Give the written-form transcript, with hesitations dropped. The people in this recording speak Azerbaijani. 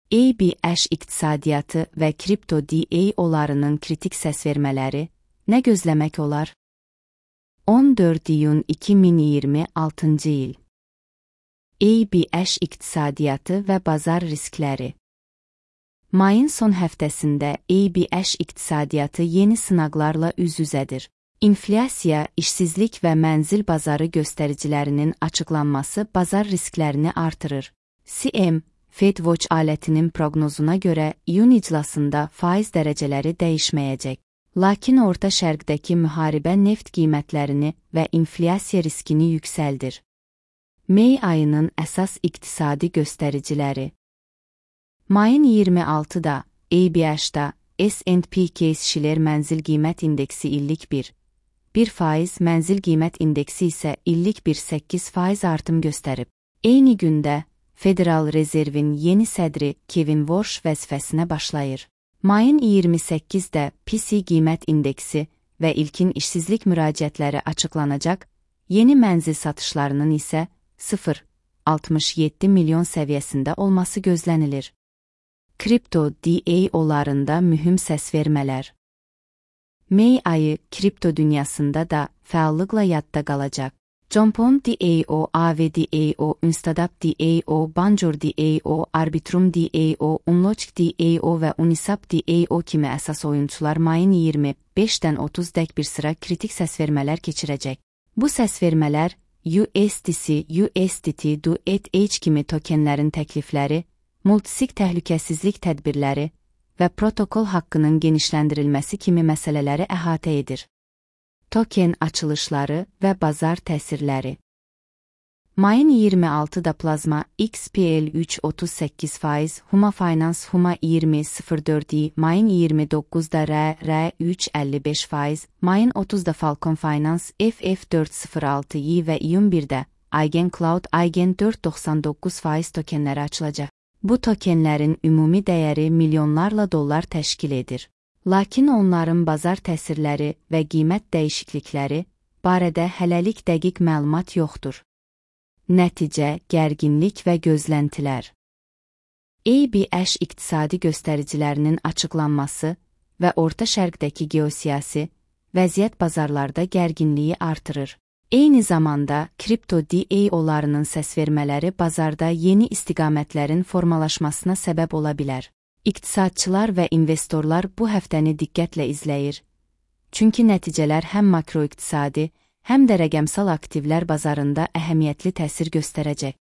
ABS iqtisadiyyatı və kripto DAO'larının kritik səs vermələri nə gözləmək olar? 14 iyun 2026 il. ABS iqtisadiyyatı və bazar riskləri. Mayın son həftəsində ABS iqtisadiyyatı yeni sınaqlarla üz-üzədir. İnflyasiya, işsizlik və mənzil bazarı göstəricilərinin açıqlanması bazar risklərini artırır. CM, FedWatch alətinin proqnozuna görə iyun iclasında faiz dərəcələri dəyişməyəcək. Lakin Orta Şərqdəki müharibə neft qiymətlərini və inflyasiya riskini yüksəldir. May ayının əsas iqtisadi göstəriciləri. Mayın 26-da ABS-da S&P Case-Shiller mənzil qiymət indeksi illik 1% mənzil qiymət indeksi isə illik 8% artım göstərib. Eyni gündə Federal Rezervin yeni sədri Kevin Warsh vəzifəsinə başlayır. Mayın 28-də PCE qiymət indeksi və ilkin işsizlik müraciətləri açıqlanacaq, yeni mənzil satışlarının isə 0,67 milyon səviyyəsində olması gözlənilir. Kripto DAO'larında mühüm səs vermələr. May ayı kripto dünyasında da fəallıqla yadda qalacaq. Jump.on DAO, Aave DAO, Instadap DAO, Banjor DAO, Arbitrum DAO, Unlock DAO və Uniswap DAO kimi əsas oyunçular mayın 25-dən 30-dək bir sıra kritik səsvermələr keçirəcək. Bu səsvermələr USDC, USDT, DUETH kimi tokenlərin təklifləri, multisig təhlükəsizlik tədbirləri və protokol haqqının genişləndirilməsi kimi məsələləri əhatə edir. Token açılışları və bazar təsirləri. Mayın 26-da Plazma XPL 3,38%, Huma Finance Huma 20,04%, mayın 29-da RR 3,55%, mayın 30-da Falcon Finance FF 4,06% və iyun 1-də Eigen Cloud Eigen 4,99% tokenləri açılacaq. Bu tokenlərin ümumi dəyəri milyonlarla dollar təşkil edir. Lakin onların bazar təsirləri və qiymət dəyişiklikləri barədə hələlik dəqiq məlumat yoxdur. Nəticə, gərginlik və gözləntilər. ABS iqtisadi göstəricilərinin açıqlanması və Orta Şərqdəki geosiyasi vəziyyət bazarlarda gərginliyi artırır. Eyni zamanda kripto DAO'larının səsvermələri bazarda yeni istiqamətlərin formalaşmasına səbəb ola bilər. İqtisadçılar və investorlar bu həftəni diqqətlə izləyir. Çünki nəticələr həm makroiqtisadi, həm də rəqəmsal aktivlər bazarında əhəmiyyətli təsir göstərəcək.